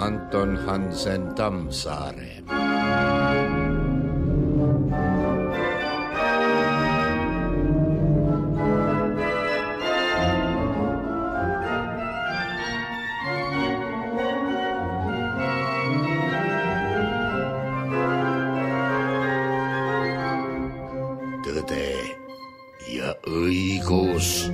Anton Hansen Tammsaare. Tõde ja õigus.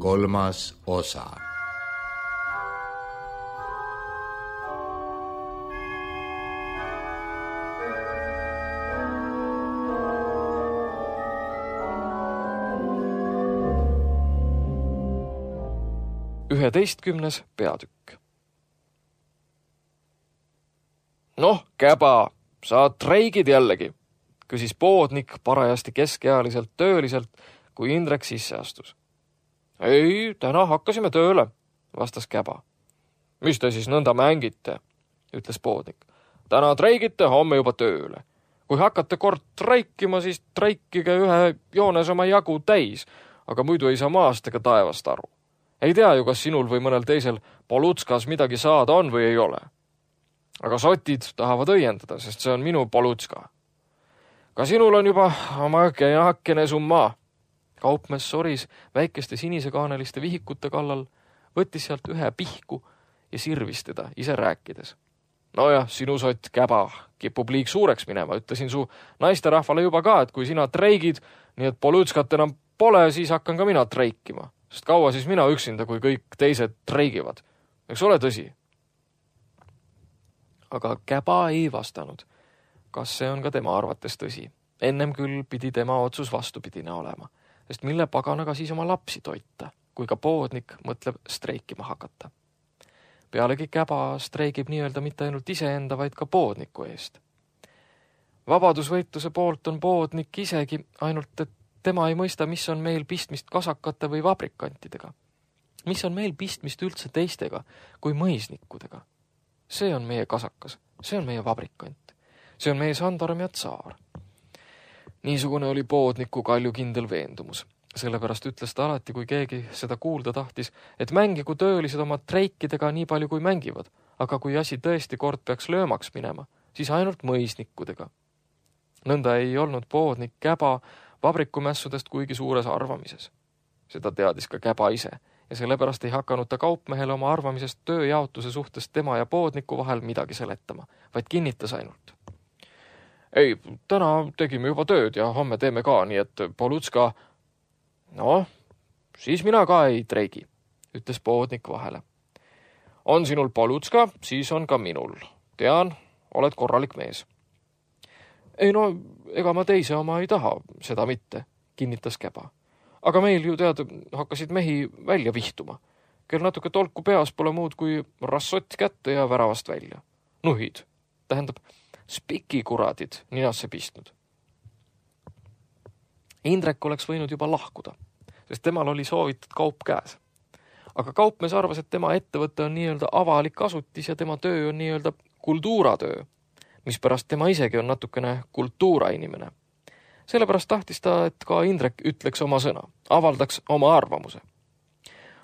Kolmas osa. Üheteistkümnes peatükk. Noh, käba, sa treigid jällegi, küsis poodnik parajasti keskealiselt tööliselt, kui Indrek sisse astus. Ei, täna hakkasime tööle, vastas käba. Mis te siis nõnda mängite, ütles poodnik. Täna treigite, homme juba tööle. Kui hakkate kord treikima, siis treikige ühe joones oma jagu täis, aga muidu ei saa maast ega taevast aru. Ei tea ju, kas sinul või mõnel teisel Polutskas midagi saada on või ei ole. Aga sotid tahavad õiendada, sest see on minu Polutska. Ka sinul on juba oma kenakene summa. Kaupmees soris väikeste sinisekaaneliste vihikute kallal, võttis sealt ühe pihku ja sirvis teda ise rääkides. Nojah, sinu sott käba kipub liig suureks minema, ütlesin su naisterahvale juba ka, et kui sina treigid, nii et Polutskat enam pole, siis hakkan ka mina treikima. Sest kaua siis mina üksinda, kui kõik teised treigivad. Eks ole tõsi? Aga käba ei vastanud. Kas see on ka tema arvates tõsi? Ennem küll pidi tema otsus vastupidine olema. Sest mille paganaga siis oma lapsi toita, kui ka poodnik mõtleb streikima hakata. Pealegi käba streigib nii-öelda mitte ainult iseenda, vaid ka poodniku eest. Vabadusvõitluse poolt on poodnik isegi ainult, et tema ei mõista, mis on meil pistmist kasakate või vabrikantidega. Mis on meil pistmist üldse teistega kui mõisnikudega. See on meie kasakas, see on meie vabrikant, see on meie sandarm ja tsaar. Niisugune oli poodniku kaljukindel veendumus. Sellepärast ütles ta alati, kui keegi seda kuulda tahtis, et mängigu töölised oma treikidega nii palju kui mängivad, aga kui asi tõesti kord peaks löömaks minema, siis ainult mõisnikudega. Nõnda ei olnud poodnik käba vabrikumässudest kuigi suures arvamises. Seda teadis ka käba ise ja sellepärast ei hakanud ta kaupmehele oma arvamisest tööjaotuse suhtes tema ja poodniku vahel midagi seletama, vaid kinnitas ainult. Ei, täna tegime juba tööd ja homme teeme ka, nii et Polutska... No, siis mina ka ei treigi, ütles poodnik vahele. On sinul Polutska, siis on ka minul. Tean, oled korralik mees. Ei no, ega ma teise oma ei taha, seda mitte, kinnitas käba. Aga meil ju tead, hakkasid mehi välja vihtuma. Kel natuke tolku peas pole muud kui rassott kätte ja väravast välja. Nuhid, tähendab spikikuradid ninasse pistnud. Indrek oleks võinud juba lahkuda, sest temal oli soovitud kaup käes. Aga kaupmees arvas, et tema ettevõte on nii-öelda avalik asutis ja tema töö on nii-öelda kultuuratöö, mispärast tema isegi on natukene kultuurainimene. Sellepärast tahtis ta, et ka Indrek ütleks oma sõna, avaldaks oma arvamuse.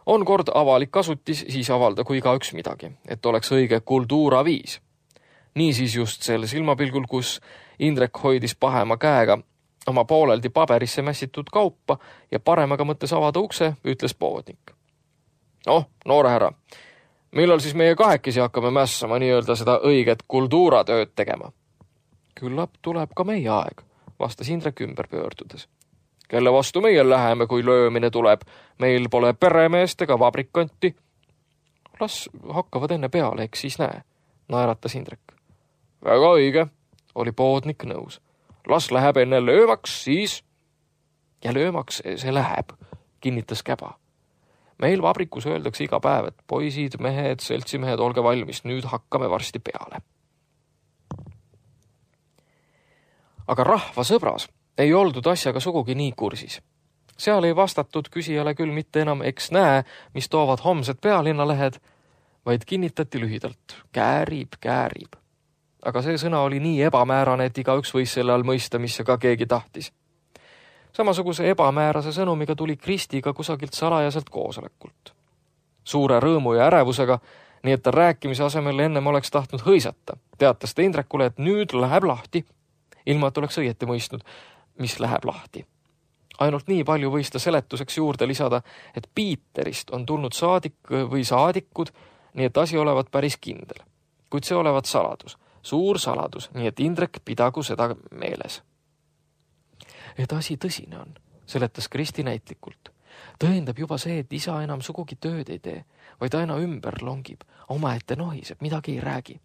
On kord avalik asutis, siis avaldagu igaüks midagi, et oleks õige kultuuraviis. Niisiis just sel silmapilgul, kus Indrek hoidis pahema käega oma pooleldi paberisse mässitud kaupa ja paremaga mõttes avada ukse, ütles poodnik. Noh, noore härra, millal siis meie kahekesi hakkame mässama nii-öelda seda õiget kultuuratööd tegema? Küllap tuleb ka meie aeg, vastas Indrek ümber pöördudes. Kelle vastu meie läheme, kui löömine tuleb? Meil pole peremeest ega vabrikanti. Las hakkavad enne peale, eks siis näe, naeratas Indrek. Väga õige, oli poodnik nõus. Las läheb enne löömaks, siis... Ja löömaks see läheb, kinnitas käba. Meil vabrikus öeldakse iga päev, et poisid, mehed, seltsimehed, olge valmis, nüüd hakkame varsti peale. Aga rahva sõbras ei oldud asjaga sugugi nii kursis. Seal ei vastatud küsijale küll mitte enam eks näe, mis toovad homsed pealinnalehed, vaid kinnitati lühidalt, käärib. Aga see sõna oli nii ebamäärane, et igaüks võis selle all mõista, mis ka keegi tahtis. Samasuguse ebamäärase sõnumiga tuli Kristiga kusagilt salajaselt koosolekult. Suure rõõmu ja ärevusega, nii et ta rääkimise asemel ennem oleks tahtnud hõisata, teatas ta Indrekule, et nüüd läheb lahti, ilma et oleks õieti mõistnud, mis läheb lahti. Ainult nii palju võis ta seletuseks juurde lisada, et Piiterist on tulnud saadik või saadikud, nii et asi olevat päris kindel. Kuid see olevat saladus, suur saladus, nii et Indrek pidagu seda meeles. Et asi tõsine on, seletas Kristi näitlikult. Tõendab juba see, et isa enam sugugi tööd ei tee, vaid aina ümber longib, omaette nohiseb, midagi ei räägi.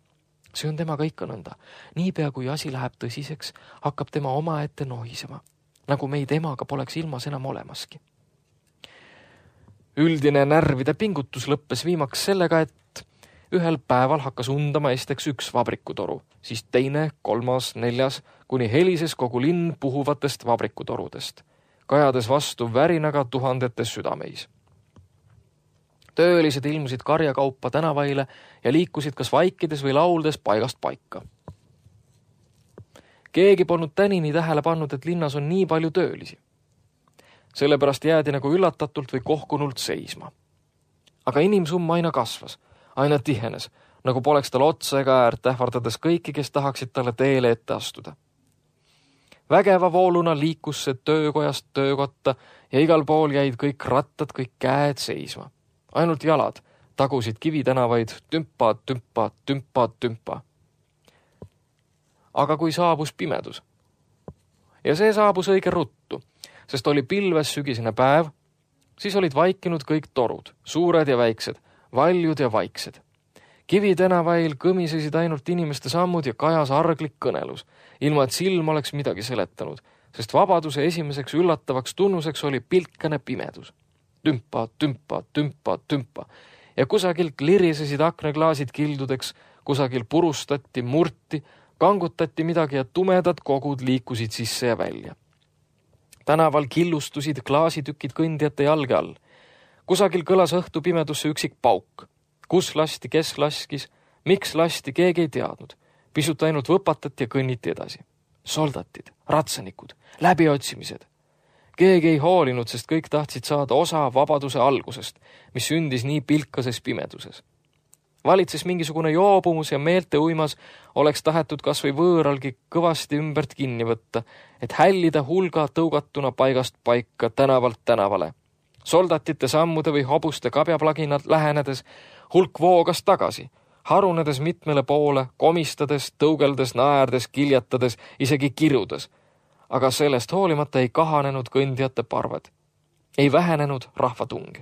See on temaga ikka nõnda. Niipea kui asi läheb tõsiseks, hakkab tema omaette nohisema, nagu meid emaga poleks ilmas enam olemaski. Üldine närvide pingutus lõppes viimaks sellega, et ühel päeval hakkas undama esiteks üks vabrikutoru, siis teine, kolmas, neljas, kuni helises kogu linn puhuvatest vabrikutorudest, kajades vastu värinaga tuhandetes südameis. Töölised ilmusid karjakaupa tänavaile ja liikusid kas vaikides või lauldes paigast paika. Keegi polnud tänini tähele pannud, et linnas on nii palju töölisi. Sellepärast jäädi nagu üllatatult või kohkunult seisma. Aga inimsumm aina kasvas, aina tihenes, nagu poleks tal otsa ega äärt, ähvardades kõiki, kes tahaksid talle teele ette astuda. Vägeva vooluna liikus see töökojast töökotta ja igal pool jäid kõik rattad, kõik käed seisma. Ainult jalad tagusid kivitänavaid tümpa. Aga kui saabus pimedus, ja see saabus õige ruttu, sest oli pilves sügisene päev, siis olid vaikinud kõik torud, suured ja väiksed, valjud ja vaiksed. Kivitänavail kõmisesid ainult inimeste sammud ja kajas arglik kõnelus, ilma et silm oleks midagi seletanud, sest vabaduse esimeseks üllatavaks tunnuseks oli pilkane pimedus. Tümpa. Ja kusagilt lirisesid aknaklaasid kildudeks, kusagil purustati, murti, kangutati midagi ja tumedad kogud liikusid sisse ja välja. Tänaval killustusid klaasitükid kõndijate jalge all. Kusagil kõlas õhtu pimedusse üksik pauk. Kus lasti, kes laskis, miks lasti, keegi ei teadnud. Pisut ainult võpatati ja kõnniti edasi. Soldatid, ratsanikud, läbiotsimised. Keegi ei hoolinud, sest kõik tahtsid saada osa vabaduse algusest, mis sündis nii pilkases pimeduses. Valitses mingisugune joobumus ja meelte uimas oleks tahetud kas või võõralgi kõvasti ümbert kinni võtta, et hällida hulga tõugatuna paigast paika tänavalt tänavale. Soldatite sammude või hobuste kabjaplaginad lähenedes hulk voogas tagasi, harunedes mitmele poole, komistades, tõugeldes, naerdes, kiljatades, isegi kirudes. Aga sellest hoolimata ei kahanenud kõndijate parved. Ei vähenenud rahvatung.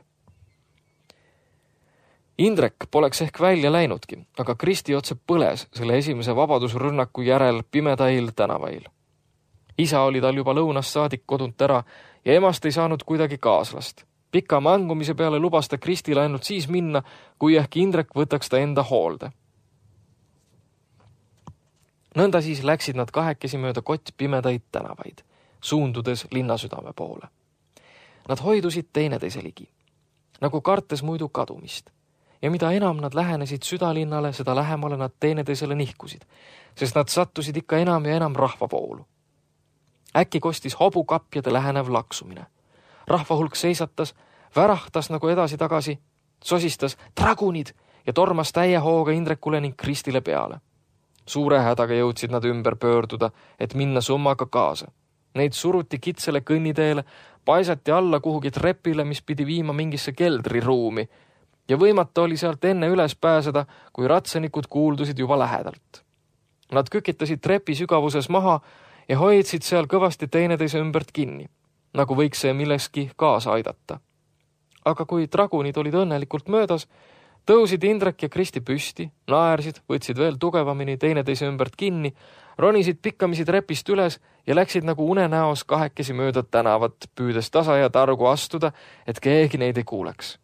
Indrek poleks ehk välja läinudki, aga Kristi otse põles selle esimese vabadusrünnaku järel pimedail tänavail. Isa oli tal juba lõunast saadik kodunt ära ja emast ei saanud kuidagi kaaslast. Pika mangumise peale lubas ta Kristile ainult siis minna, kui ehk Indrek võtaks ta enda hoolde. Nõnda siis läksid nad kahekesi mööda pimedaid tänavaid, suundudes linnasüdame poole. Nad hoidusid teineteise ligi, nagu kartes muidu kadumist. Ja mida enam nad lähenesid südalinnale, seda lähemale nad teineteisele nihkusid, sest nad sattusid ikka enam ja enam rahvavoolu. Äkki kostis hobukapjade lähenev laksumine. Rahvahulk seisatas, värahtas nagu edasi-tagasi, sosistas dragunid ja tormas täie hooga Indrekule ning Kristile peale. Suure hädaga jõudsid nad ümber pöörduda, et minna summaga kaasa. Neid suruti kitsele kõnniteele, paisati alla kuhugi trepile, mis pidi viima mingisse keldriruumi, ja võimata oli sealt enne üles pääseda, kui ratsanikud kuuldusid juba lähedalt. Nad kükitasid trepi sügavuses maha ja hoidsid seal kõvasti teineteise ümbert kinni, nagu võiks see milleski kaasa aidata. Aga kui dragunid olid õnnelikult möödas, tõusid Indrek ja Kristi püsti, naersid, võtsid veel tugevamini teineteise ümbert kinni, ronisid pikkamisi trepist üles ja läksid nagu unenäos kahekesi mööda tänavat, püüdes tasa ja targu astuda, et keegi neid ei kuuleks.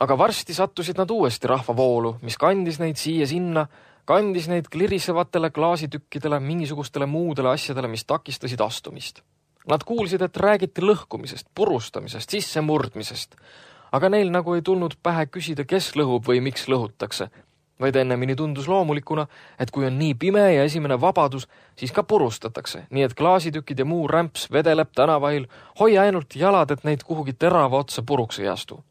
Aga varsti sattusid nad uuesti rahvavoolu, mis kandis neid siia sinna, kandis neid klirisevatele klaasitükkidele, mingisugustele muudele asjadele, mis takistasid astumist. Nad kuulsid, et räägiti lõhkumisest, purustamisest, sissemurdmisest, aga neil nagu ei tulnud pähe küsida, kes lõhub või miks lõhutakse, vaid ennemini tundus loomulikuna, et kui on nii pime ja esimene vabadus, siis ka purustatakse, nii et klaasitükid ja muu rämps vedeleb tänavail, hoia ainult jalad, et neid kuhugi terava otsa puruks ei astu.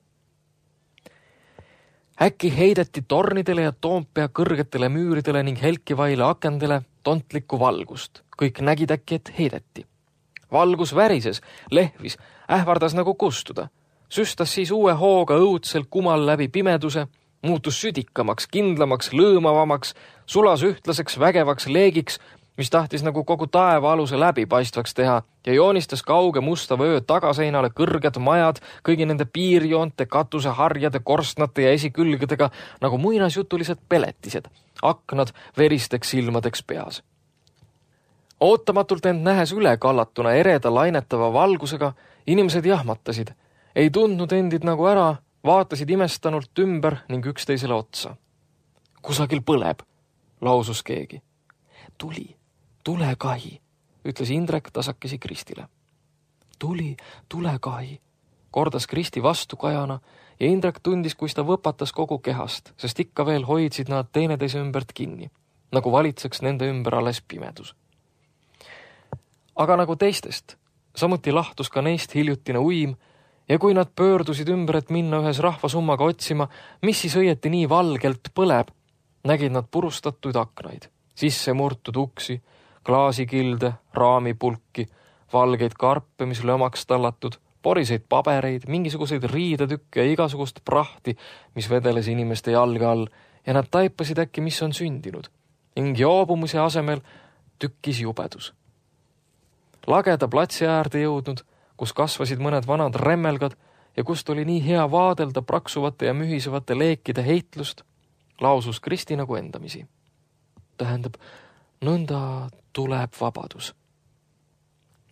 Äkki heideti tornidele ja Toompea kõrgetele müüridele ning helkivaile akendele tontlikku valgust. Kõik nägid äkki, et heideti. Valgus värises, lehvis, ähvardas nagu kustuda. Süstas siis uue hooga õudsel kumal läbi pimeduse, muutus südikamaks, kindlamaks, lõõmavamaks, sulas ühtlaseks vägevaks leegiks, mis tahtis nagu kogu taeva aluse läbipaistvaks teha ja joonistas kauge musta vöö tagaseinale kõrged majad kõigi nende piirjoonte, katuseharjade, korstnate ja esikülgedega nagu muinasjutulised peletised, aknad veristeks silmadeks peas. Ootamatult end nähes ülekallatuna ereda lainetava valgusega, inimesed jahmatasid, ei tundnud endid nagu ära, vaatasid imestanult ümber ning üksteisele otsa. Kusagil põleb, lausus keegi. Tulekahi, ütles Indrek tasakesi Kristile. Tulekahi, kordas Kristi vastukajana ja Indrek tundis, kus ta võpatas kogu kehast, sest ikka veel hoidsid nad teineteise ümbert kinni, nagu valitseks nende ümber alles pimedus. Aga nagu teistest, samuti lahtus ka neist hiljutine uim ja kui nad pöördusid ümber, et minna ühes rahvasummaga otsima, mis siis õieti nii valgelt põleb, nägid nad purustatuid aknaid, sisse murtud uksi, klaasikilde, raamipulki, valgeid karpe, mis lömaks tallatud, poriseid pabereid, mingisuguseid riidetükke ja igasugust prahti, mis vedeles inimeste jalge all ja nad taipasid äkki, mis on sündinud ning joobumise asemel tükkis jubedus. Lageda platsi äärde jõudnud, kus kasvasid mõned vanad remmelgad ja kust oli nii hea vaadelda praksuvate ja mühisevate leekide heitlust, lausus Kristi nagu endamisi. Tähendab, nõnda tuleb vabadus.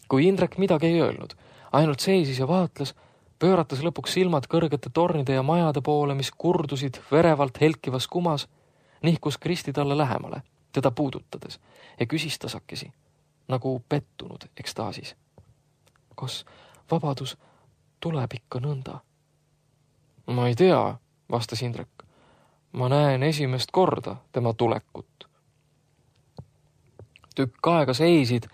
Kui Indrek midagi ei öelnud, ainult seisis ja vaatles, pööratas lõpuks silmad kõrgete tornide ja majade poole, mis kurdusid verevalt helkivas kumas, nihkus Kristi talle lähemale, teda puudutades ja küsis tasakesi, nagu pettunud ekstaasis. Kas vabadus tuleb ikka nõnda? Ma ei tea, vastas Indrek. Ma näen esimest korda tema tulekut. Tükk aega seisid,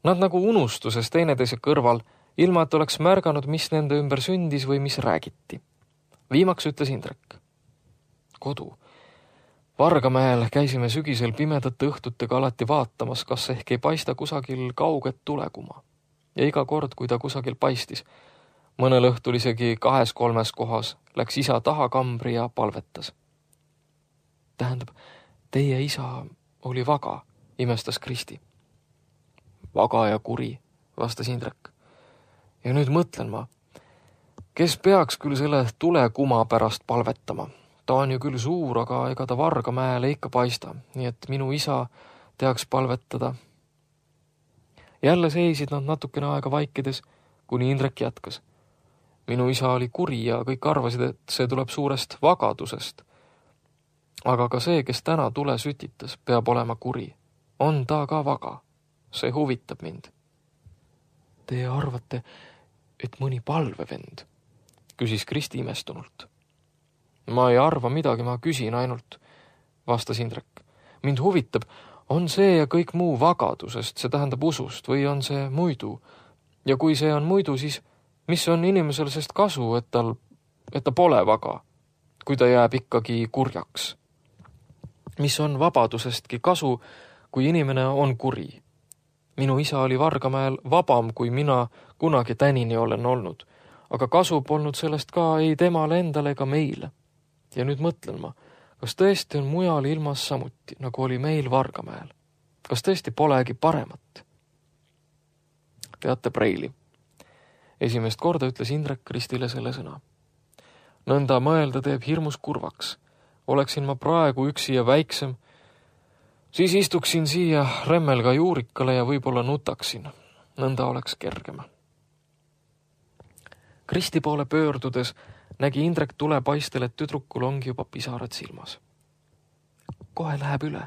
nad nagu unustuses teineteise kõrval, ilma et oleks märganud, mis nende ümber sündis või mis räägiti. Viimaks ütles Indrek. Kodu. Vargamäel käisime sügisel pimedate õhtutega alati vaatamas, kas ehk ei paista kusagil kauget tulekuma. Ja iga kord, kui ta kusagil paistis, mõnel õhtul isegi 2-3 kohas, läks isa taha kambri ja palvetas. Tähendab, teie isa oli vaga, imestas Kristi. Vaga ja kuri, vastas Indrek. Ja nüüd mõtlen ma, kes peaks küll selle tulekuma pärast palvetama? Ta on ju küll suur, aga ega ta Vargamäele ikka paista, nii et minu isa teaks palvetada. Jälle seisid nad natukene aega vaikides, kuni Indrek jätkas. Minu isa oli kuri ja kõik arvasid, et see tuleb suurest vagadusest. Aga ka see, kes täna tule sütitas, peab olema kuri. On ta ka vaga. See huvitab mind. Te arvate, et mõni palvevend? Küsis Kristi imestunult. Ma ei arva midagi, ma küsin ainult, vastas Indrek. Mind huvitab, on see ja kõik muu vagadusest, see tähendab usust, või on see muidu? Ja kui see on muidu, siis mis on inimesel sest kasu, et ta pole vaga, kui ta jääb ikkagi kurjaks? Mis on vabadusestki kasu, kui inimene on kuri? Minu isa oli Vargamäel vabam, kui mina kunagi tänini olen olnud, aga kasu polnud sellest ka ei temale endale ega meile. Ja nüüd mõtlen ma, kas tõesti on mujal ilmas samuti, nagu oli meil Vargamäel? Kas tõesti polegi paremat? Teate Preili. Esimest korda ütles Indrek Kristile selle sõna. Nõnda mõelda teeb hirmus kurvaks. Oleksin ma praegu üksi ja väiksem, siis istuksin siia remmelga juurikale ja võib-olla nutaksin. Nõnda oleks kergem. Kristi poole pöördudes nägi Indrek tulepaistel, et tüdrukul ongi juba pisarad silmas. Kohe läheb üle,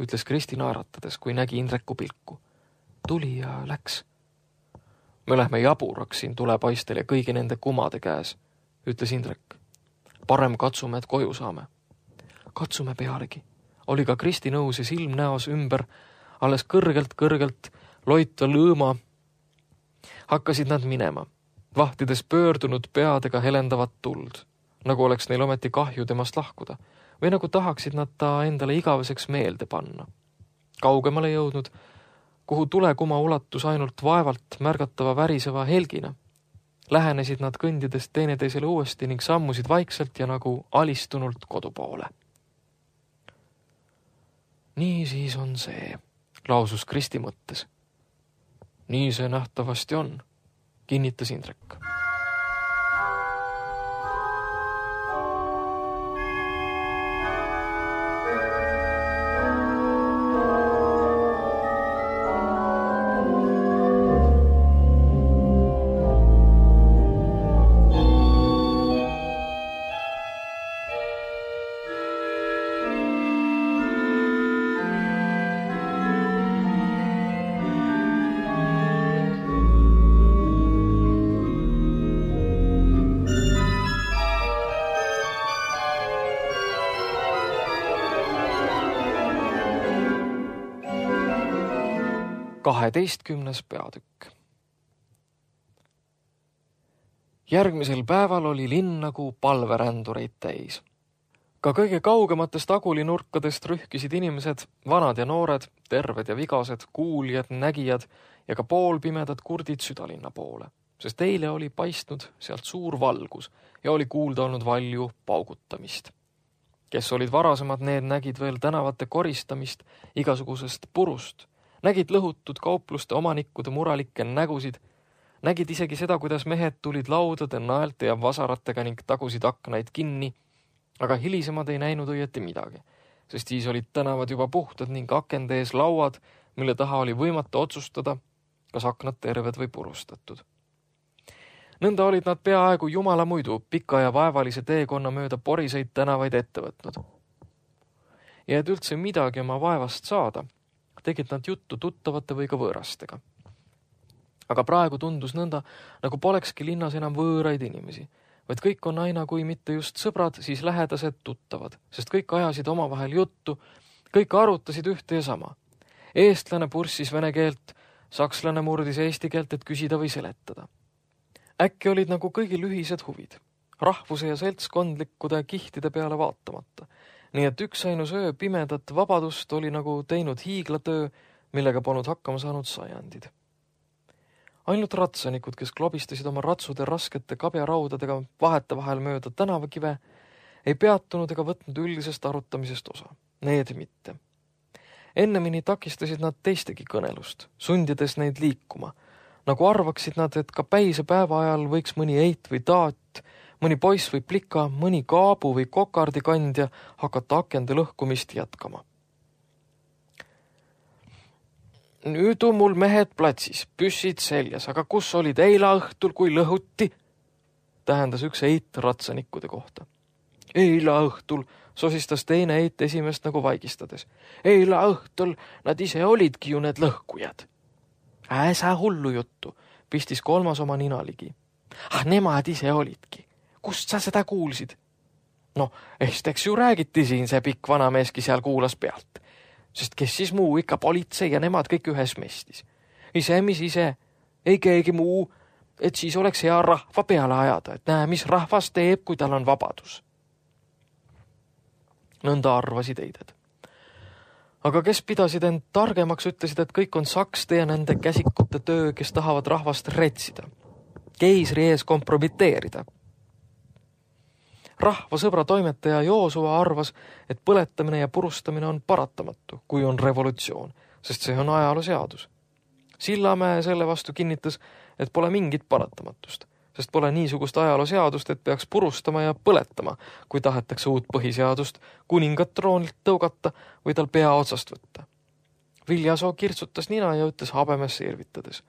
ütles Kristi naeratades, kui nägi Indreku pilku. Tuli ja läks. Me lähme jaburaks siin tulepaistel ja kõigi nende kumade käes, ütles Indrek. Parem katsume, et koju saame. Katsume pealegi. Oli ka Kristi nõus ja silm näos ümber, alles kõrgelt loita lõõma. Hakkasid nad minema, vahtides pöördunud peadega helendavat tuld, nagu oleks neil ometi kahju temast lahkuda, või nagu tahaksid nad ta endale igaveseks meelde panna. Kaugemale jõudnud, kuhu tulekuma ulatus ainult vaevalt märgatava väriseva helgina. Lähenesid nad kõndides teineteisele uuesti ning sammusid vaikselt ja nagu alistunult kodu poole. Nii siis on see, lausus Kristi mõttes. Nii see nähtavasti on, kinnitas Indrek. Kaheteistkümnes peatükk. Järgmisel päeval oli linn nagu palverändureid täis. Ka kõige kaugematest agulinurkadest rühkisid inimesed, vanad ja noored, terved ja vigased, kuuljad, nägijad ja ka poolpimedad kurdid südalinna poole, sest eile oli paistnud sealt suur valgus ja oli kuulda olnud valju paugutamist. Kes olid varasemad, need nägid veel tänavate koristamist igasugusest purust, nägid lõhutud kaupluste omanikkude muralikke nägusid, nägid isegi seda, kuidas mehed tulid laudade, naelte ja vasaratega ning tagusid aknaid kinni, aga hilisemad ei näinud õieti midagi, sest siis olid tänavad juba puhtad ning akende ees lauad, mille taha oli võimatu otsustada, kas aknad terved või purustatud. Nõnda olid nad peaaegu jumala muidu pika ja vaevalise teekonna mööda poriseid tänavaid ette võtnud. Ja et üldse midagi oma vaevast saada, tegid nad juttu tuttavate või ka võõrastega. Aga praegu tundus nõnda, nagu polekski linnas enam võõraid inimesi, vaid kõik on aina kui mitte just sõbrad, siis lähedased tuttavad, sest kõik ajasid omavahel juttu, kõik arutasid ühte ja sama. Eestlane purssis vene keelt, sakslane murdis eesti keelt, et küsida või seletada. Äkki olid nagu kõigil ühised huvid, rahvuse ja seltskondlikkude kihtide peale vaatamata. Nii et üksainus öö pimedat vabadust oli nagu teinud hiiglatöö, millega polnud hakkama saanud sajandid. Ainult ratsanikud, kes klobistasid oma ratsude raskete kabjaraudadega vahete vahel mööda tänavakive, ei peatunud ega võtnud üldisest arutamisest osa. Need mitte. Ennemini takistasid nad teistegi kõnelust, sundides neid liikuma, nagu arvaksid nad, et ka päise päeva ajal võiks mõni eit või taat, mõni poiss või plika, mõni kaabu või kokardikandja hakata akende lõhkumist jätkama. Nüüd on mul mehed platsis, püssid seljas, aga kus olid eila õhtul, kui lõhuti? Tähendas üks eit ratsanikkude kohta. Eila õhtul, sosistas teine eit esimest nagu vaigistades. Eila õhtul nad ise olidki ju need lõhkujad. Äsa hullu juttu, pistis kolmas oma nina ligi. Nemad ise olidki. Kust sa seda kuulsid? No, esteks ju räägiti siin, see pikk vanameeski seal kuulas pealt. Sest kes siis muu, ikka politsei ja nemad kõik ühes mestis. Ise, mis ise, ei keegi muu, et siis oleks hea rahva peale ajada, et näe, mis rahvas teeb, kui tal on vabadus. Nõnda arvasid eided. Aga kes pidasid end targemaks, ütlesid, et kõik on sakste ja nende käsikute töö, kes tahavad rahvast retsida. Keisri ees kompromiteerida. Rahva sõbra toimetaja Joosua arvas, et põletamine ja purustamine on paratamatu, kui on revolutsioon, sest see on ajalooseadus. Sillamäe selle vastu kinnitas, et pole mingit paratamatust, sest pole niisugust ajalooseadust, et peaks purustama ja põletama, kui tahetakse uut põhiseadust kuningat troonilt tõugata või tal pea otsast võtta. Viljasoo kirtsutas nina ja ütles habemesse irvitades.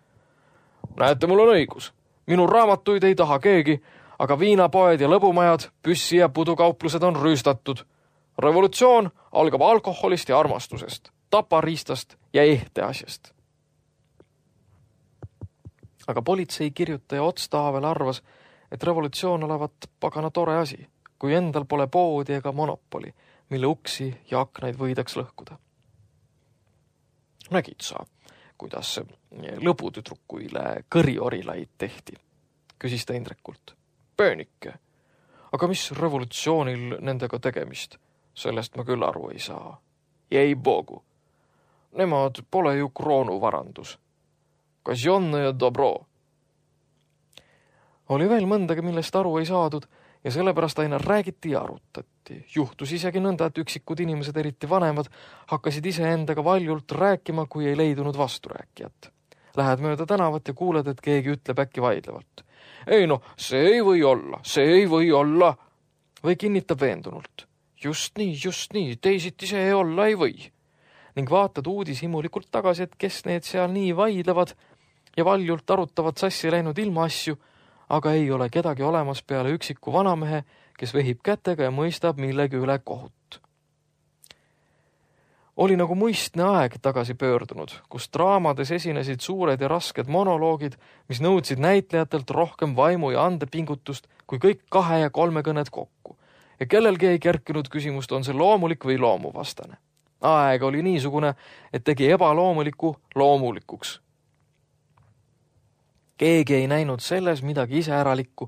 Näete, mul on õigus. Minu raamatuid ei taha keegi, aga viinapoed ja lõbumajad, püssi ja pudukauplused on rüüstatud. Revolutsioon algab alkoholist ja armastusest, tapariistast ja ehteasjast. Aga politsei kirjutaja Ots Taavel arvas, et revolutsioon olevat pagana tore asi, kui endal pole poodi ega monopoli, mille uksi ja aknaid võidaks lõhkuda. Nägid sa, kuidas lõbutüdrukuile kõriorilaid tehti, küsis ta Indrekult. Pöönike, aga mis revolutsioonil nendega tegemist? Sellest ma küll aru ei saa. Jäi bogu. Nemad pole ju kroonuvarandus. Kasjonne ja dobro. Oli veel mõndagi, millest aru ei saadud ja sellepärast aina räägiti ja arutati. Juhtus isegi nõnda, et üksikud inimesed, eriti vanemad, hakkasid iseendaga valjult rääkima, kui ei leidunud vasturääkijat. Lähed mööda tänavat ja kuuled, et keegi ütleb äkki vaidlevalt. Ei no, see ei või olla. Või kinnitab veendunult. Just nii, teisiti see olla ei või. Ning vaatad uudishimulikult tagasi, et kes need seal nii vaidlevad ja valjult arutavad sassi läinud ilmaasju, aga ei ole kedagi olemas peale üksiku vanamehe, kes vehib kätega ja mõistab millegi üle kohut. Oli nagu muistne aeg tagasi pöördunud, kus draamades esinesid suured ja rasked monoloogid, mis nõudsid näitlejatelt rohkem vaimu ja andepingutust kui kõik 2 ja 3 kõned kokku. Ja kellelgi ei kerkinud küsimust, on see loomulik või loomuvastane. Aeg oli niisugune, et tegi ebaloomuliku loomulikuks. Keegi ei näinud selles midagi iseäralikku,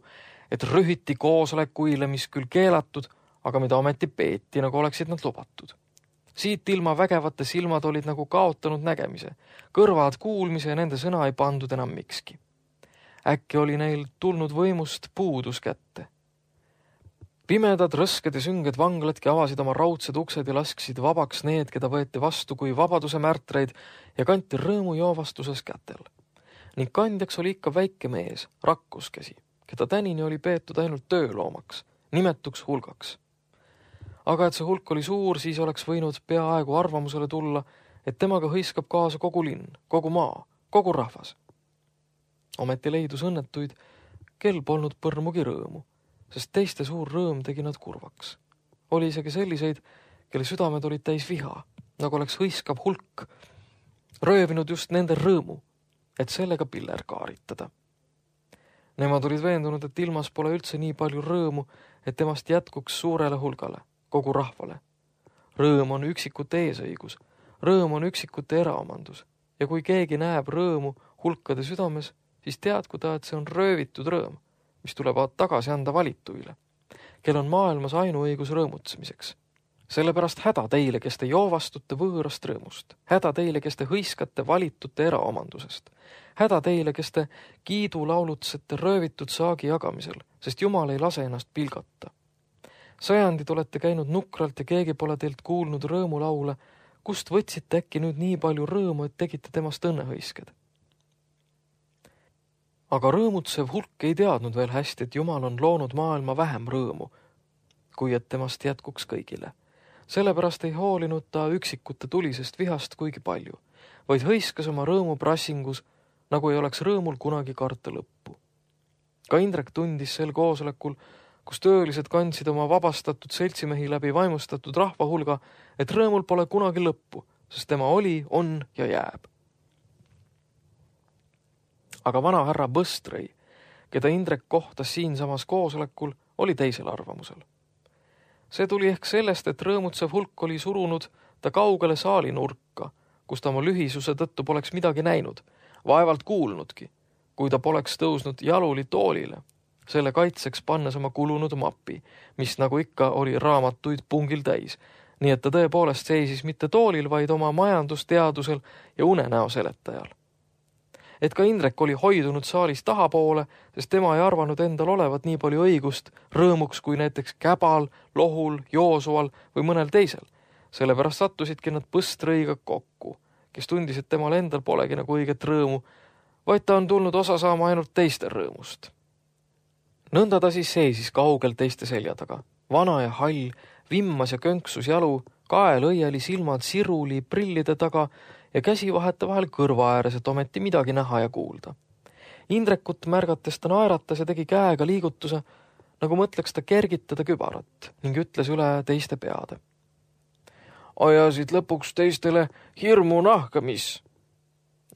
et rühiti koosolekuile, mis küll keelatud, aga mida ometi peeti, nagu oleksid nad lubatud. Siit ilma vägevate silmad olid nagu kaotanud nägemise, kõrvad kuulmise ja nende sõna ei pandud enam mikski. Äkki oli neil tulnud võimust puudus kätte. Pimedad, rõsked ja sünged vangladki avasid oma raudsed uksed ja lasksid vabaks need, keda võeti vastu kui vabaduse märtreid ja kanti rõõmu joovastuses kätel. Ning kandjaks oli ikka väike mees, rakkuskäsi, keda tänini oli peetud ainult tööloomaks, nimetuks hulgaks. Aga et see hulk oli suur, siis oleks võinud peaaegu arvamusele tulla, et temaga hõiskab kaasa kogu linn, kogu maa, kogu rahvas. Ometi leidus õnnetuid, kel polnud põrmugi rõõmu, sest teiste suur rõõm tegi nad kurvaks. Oli isegi selliseid, kelle südamed olid täis viha, nagu oleks hõiskav hulk, röövinud just nende rõõmu, et sellega piller kaaritada. Nemad olid veendunud, et ilmas pole üldse nii palju rõõmu, et temast jätkuks suurele hulgale, kogu rahvale. Rõõm on üksikute eesõigus, rõõm on üksikute eraomandus ja kui keegi näeb rõõmu hulkade südames, siis teadku ta, et see on röövitud rõõm, mis tuleb tagasi anda valituile, kel on maailmas ainuõigus rõõmutsemiseks. Sellepärast häda teile, kes te joovastute võõrast rõõmust, häda teile, kes te hõiskate valitute eraomandusest, häda teile, kes te kiidulaulutsete röövitud saagi jagamisel, sest Jumal ei lase ennast pilgata. Sajandid olete käinud nukralt ja keegi pole teilt kuulnud rõõmulaule, kust võtsite äkki nüüd nii palju rõõmu, et tegite temast õnnehõisked. Aga rõõmutsev hulk ei teadnud veel hästi, et Jumal on loonud maailma vähem rõõmu, kui et temast jätkuks kõigile. Sellepärast ei hoolinud ta üksikute tulisest vihast kuigi palju, vaid hõiskas oma rõõmu prassingus, nagu ei oleks rõõmul kunagi karta lõppu. Ka Indrek tundis sel koosolekul, kus töölised kandsid oma vabastatud seltsimehi läbi vaimustatud rahvahulga, et rõõmul pole kunagi lõppu, sest tema oli, on ja jääb. Aga vana härra Põstrõi, keda Indrek kohtas siinsamas koosolekul, oli teisel arvamusel. See tuli ehk sellest, et rõõmutsev hulk oli surunud ta kaugele saali nurka, kus ta oma lühisuse tõttu poleks midagi näinud, vaevalt kuulnudki, kui ta poleks tõusnud jaluli toolile, selle kaitseks pannes oma kulunud mapi, mis nagu ikka oli raamatuid pungil täis, nii et ta tõepoolest seisis mitte toolil, vaid oma majandusteadusel ja unenäo seletajal. Et ka Indrek oli hoidunud saalis tahapoole, sest tema ei arvanud endal olevat nii palju õigust rõõmuks kui näiteks Käbal, Lohul, Joosual või mõnel teisel. Sellepärast sattusidki nad Põstrõiga kokku, kes tundis, et temal endal polegi nagu õiget rõõmu, vaid ta on tulnud osa saama ainult teiste rõõmust. Nõnda ta siis seisis kaugel teiste selja taga. Vana ja hall, vimmas ja könksus jalu, kael õieli, silmad siruli, prillide taga ja käsi vaheta vahel kõrva ääres, et ometi midagi näha ja kuulda. Indrekut märgates ta naeratas ja tegi käega liigutuse, nagu mõtleks ta kergitada kübarat ning ütles üle teiste peade. ajasid lõpuks teistele hirmu nahka, mis.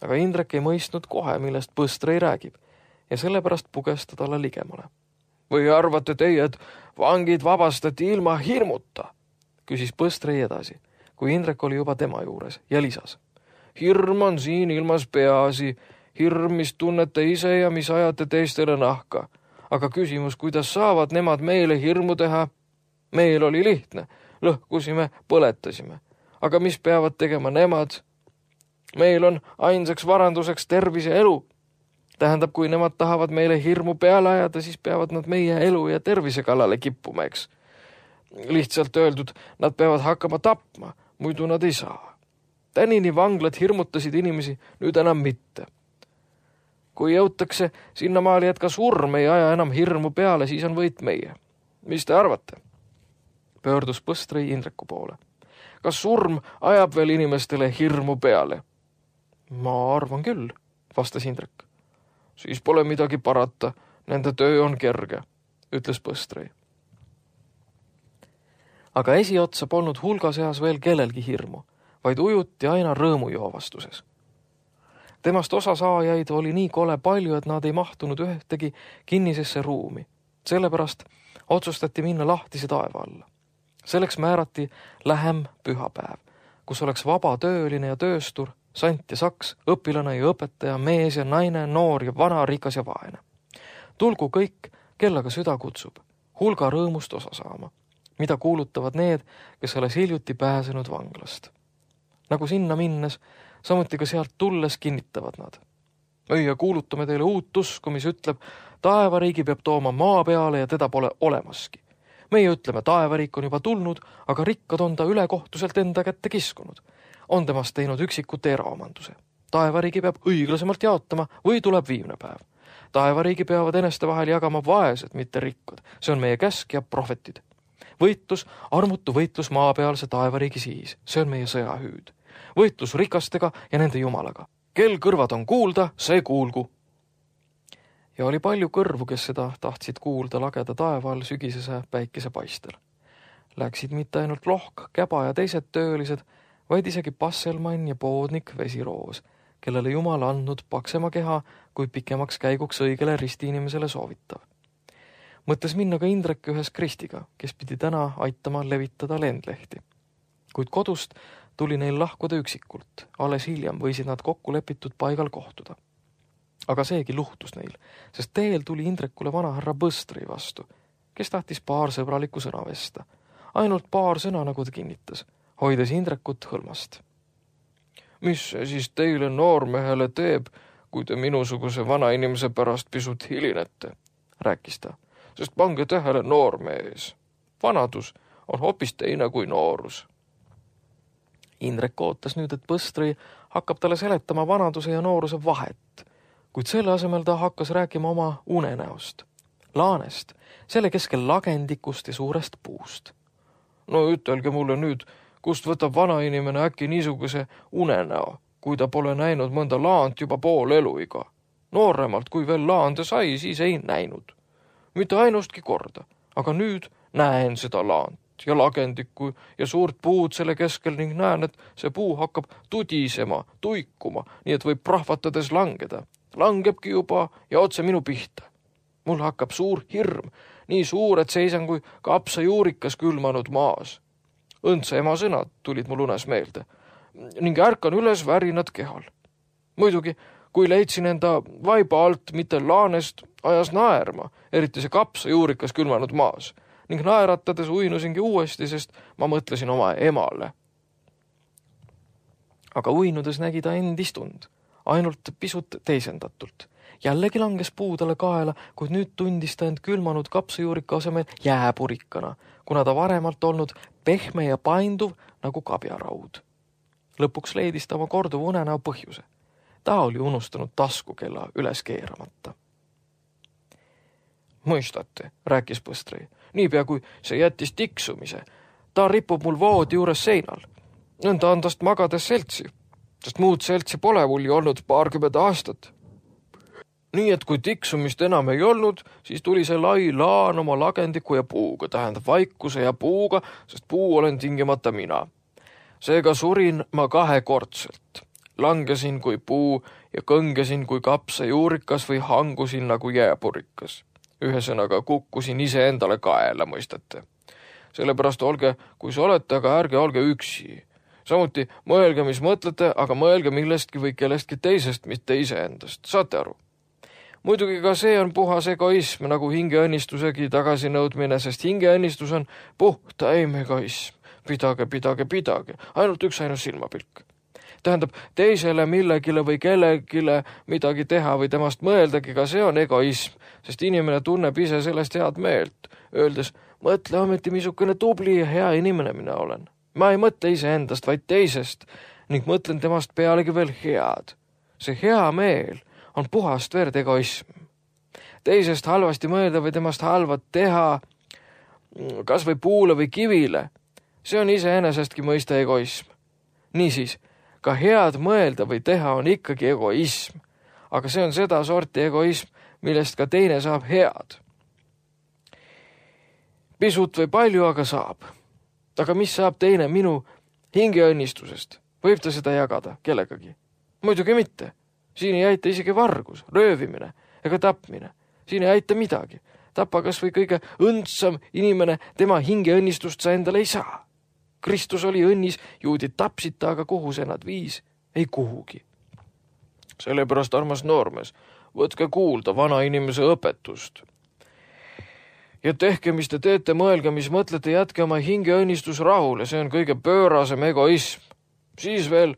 Aga Indrek ei mõistnud kohe, millest Põstrõi räägib ja sellepärast puges ta talle ligemale. Või arvate teie, et vangid vabastati ilma hirmuta? Küsis Põstrõi edasi, kui Indrek oli juba tema juures ja lisas. Hirm on siin ilmas peaasi, hirm, mis tunnete ise ja mis ajate teistele nahka. Aga küsimus, kuidas saavad nemad meile hirmu teha? Meil oli lihtne, lõhkusime, põletasime. Aga mis peavad tegema nemad? Meil on ainsaks varanduseks tervis ja elu. Tähendab, kui nemad tahavad meile hirmu peale ajada, siis peavad nad meie elu ja tervise kallale kippuma, eks. Lihtsalt öeldud, nad peavad hakkama tapma, muidu nad ei saa. Tänini vanglad hirmutasid inimesi, nüüd enam mitte. Kui jõutakse sinnamaali, et ka surm ei aja enam hirmu peale, siis on võit meie. Mis te arvate? Pöördus Põstrõi Indreku poole. Kas surm ajab veel inimestele hirmu peale? Ma arvan küll, vastas Indrek. Siis pole midagi parata, nende töö on kerge, ütles Põstrõi. Aga esiotsa polnud hulga seas veel kellelgi hirmu, vaid ujuti aina rõõmujoovastuses. Temast osa saajaid oli nii kole palju, et nad ei mahtunud ühtegi kinnisesse ruumi. Sellepärast otsustati minna lahtise taeva alla. Selleks määrati lähem pühapäev, kus oleks vaba tööline ja tööstur, sant ja saks, õpilane ja õpetaja, mees ja naine, noor ja vana, rikas ja vaene. Tulgu kõik, kellega süda kutsub, hulga rõõmust osa saama, mida kuulutavad need, kes alles hiljuti pääsenud vanglast. Nagu sinna minnes, samuti ka sealt tulles kinnitavad nad. Meie kuulutame teile uut usku, mis ütleb, taevariigi peab tooma maa peale ja teda pole olemaski. Meie ütleme, taevariik on juba tulnud, aga rikkad on ta ülekohtuselt enda kätte kiskunud. On temast teinud üksikut eraomanduse. Taevariigi peab õiglasemalt jaotama või tuleb viimne päev. Taevariigi peavad eneste vahel jagama vaesed, mitte rikkad. See on meie käsk ja prohvetid. Võitlus, armutu võitlus maapealse taevariigi siis. See on meie sõjahüüd. Võitlus rikastega ja nende jumalaga. Kel kõrvad on kuulda, see kuulgu. Ja oli palju kõrvu, kes seda tahtsid kuulda lageda taeval sügisese päikese paistel. Läksid mitte ainult lohk, käba ja teised töölised, vaid isegi passelmann ja poodnik Vesiroos, kellele Jumal andnud paksema keha, kui pikemaks käiguks õigele ristiinimesele soovitav. Mõttes minna ka Indrek ühes Kristiga, kes pidi täna aitama levitada lendlehti. Kuid kodust tuli neil lahkuda üksikult, alles hiljem võisid nad kokku lepitud paigal kohtuda. Aga seegi luhtus neil, sest teel tuli Indrekule vanahärra Põstrõi vastu, kes tahtis paar sõbralikku sõna vesta. Ainult paar sõna, nagu ta kinnitas, hoides Indrekut hõlmast. Mis see siis teile noormehele teeb, kui te minusuguse vanainimese pärast pisut hilinete, rääkis ta, sest pange tähele noormees. Vanadus on hoopis teine kui noorus. Indrek ootas nüüd, et Põstrõi hakkab talle seletama vanaduse ja nooruse vahet, kuid selle asemel ta hakkas rääkima oma unenäost, laanest, selle keskel lagendikust ja suurest puust. No ütelge mulle nüüd, kust võtab vanainimene äkki niisuguse unenäo, kui ta pole näinud mõnda laant juba pool eluiga. Nooremalt, kui veel laande sai, siis ei näinud. Mitte ainustki korda, aga nüüd näen seda laant ja lagendikku ja suurt puud selle keskel ning näen, et see puu hakkab tudisema, tuikuma, nii et võib prahvatades langeda. Langebki juba ja otse minu pihta. Mul hakkab suur hirm, nii suur, et seisan kui kapsajuurikas külmanud maas. Õndse ema sõnad tulid mul unes meelde ning ärkan üles värinad kehal. Muidugi, kui leidsin enda vaiba alt mitte laanest, ajas naerma, eriti see kapsajuurikas külmanud maas ning naeratades uinusingi uuesti, sest ma mõtlesin oma emale. Aga uinudes nägi ta end istund, ainult pisut teisendatult. Jällegi langes puu talle kaela, kuid nüüd tundis ta end külmanud kapsajuurika asemel jääpurikkana, kuna ta varemalt olnud pehme ja painduv nagu kabjaraud. Lõpuks leidis ta oma korduva unenäo põhjuse. Ta oli unustanud taskukella üles keeramata. Mõistate, rääkis Põstrõi, niipea kui see jättis tiksumise. Ta ripub mul voodi juures seinal. Nõnda on tast magades seltsi, sest muud seltsi pole mul ju olnud 20 aastat. Nii et kui tiksumist enam ei olnud, siis tuli see lai laan oma lagendiku ja puuga, tähendab vaikuse ja puuga, sest puu olen tingimata mina. Seega surin ma 2-kordselt. Langesin kui puu ja kõngesin kui kapsa juurikas või hangusin nagu jääpurikas. Ühesõnaga kukkusin ise endale kaela, mõistate. Sellepärast olge, kui sa olete, aga ärge olge üksi. Samuti mõelge, mis mõtlete, aga mõelge millestki või kellestki teisest, mitte iseendast. Saate aru? Muidugi ka see on puhas egoism, nagu hingeõnnistusegi tagasinõudmine, sest hingeõnnistus on puhtaim egoism. Pidage, ainult üksainus silmapilk. Tähendab, teisele millegile või kellegile midagi teha või temast mõeldagi, ka see on egoism, sest inimene tunneb ise sellest head meelt, öeldes, mõtle ometi, missugune tubli ja hea inimene mina olen. Ma ei mõtle iseendast, vaid teisest ning mõtlen temast pealegi veel head. See hea meel on puhast verd egoism. Teisest halvasti mõelda või temast halvat teha, kas või puule või kivile, see on iseenesestki mõista egoism. Niisiis, ka head mõelda või teha on ikkagi egoism, aga see on seda sorti egoism, millest ka teine saab head. Pisut või palju, aga saab. Aga mis saab teine minu hingeõnnistusest? Võib ta seda jagada kellegagi? Muidugi mitte. Siin ei aita isegi vargus, röövimine ega tapmine. Siin ei aita midagi. Tapa kas või kõige õndsam inimene, tema hingeõnnistust sa endale ei saa. Kristus oli õnnis, juudid tapsid ta, aga kuhu see nad viis? Ei kuhugi. Sellepärast, armas noormees, võtke kuulda vana inimese õpetust. Ja tehke, mis te teete, mõelge, mis mõtlete, jätke oma hingeõnnistus rahule, see on kõige pöörasem egoism. Siis veel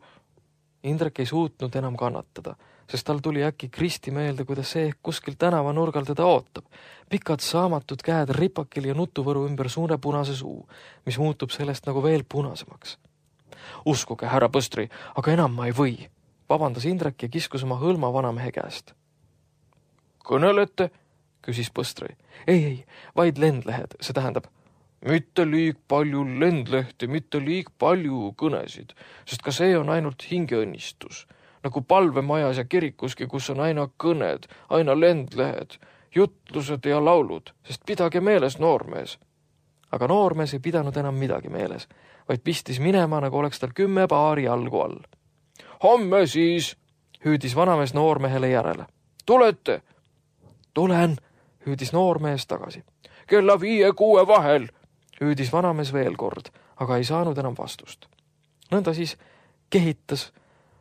Indrek ei suutnud enam kannatada, sest tal tuli äkki Kristi meelde, kuidas see kuskil tänavanurgal teda ootab. Pikad saamatud käed ripakil ja nutuvõru ümber suure punase suu, mis muutub sellest nagu veel punasemaks. Uskuge, härra Põstri, aga enam ma ei või, vabandas Indrek ja kiskus oma hõlma vanamehe käest. Kõnelete? Küsis Põstri. Ei, vaid lendlehed, see tähendab, mitte liig palju lendlehti, mitte liig palju kõnesid, sest ka see on ainult hingeõnnistus, nagu palvemajas ja kirikuski, kus on aina kõned, aina lendlehed, jutlused ja laulud, sest pidage meeles, noormees. Aga noormees ei pidanud enam midagi meeles, vaid pistis minema, nagu oleks tal 10 paari jalgu all. Homme siis, hüüdis vanamees noormehele järele. Tulete? Tulen, hüüdis noormees tagasi. Kella 5-6 vahel, hüüdis vanamees veel kord, aga ei saanud enam vastust. Nõnda siis kehitas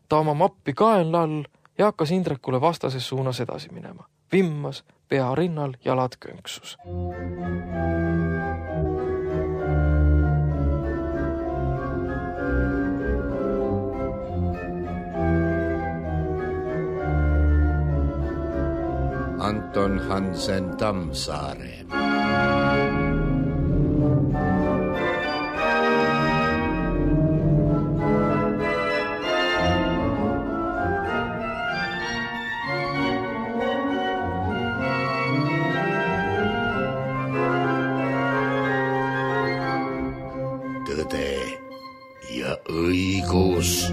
ta oma mappi kaenla all ja hakkas Indrekule vastases suunas edasi minema. Vimmas, pea rinnal, jalad könksus. Anton Hansen Tammsaare. Tõde ja õigus.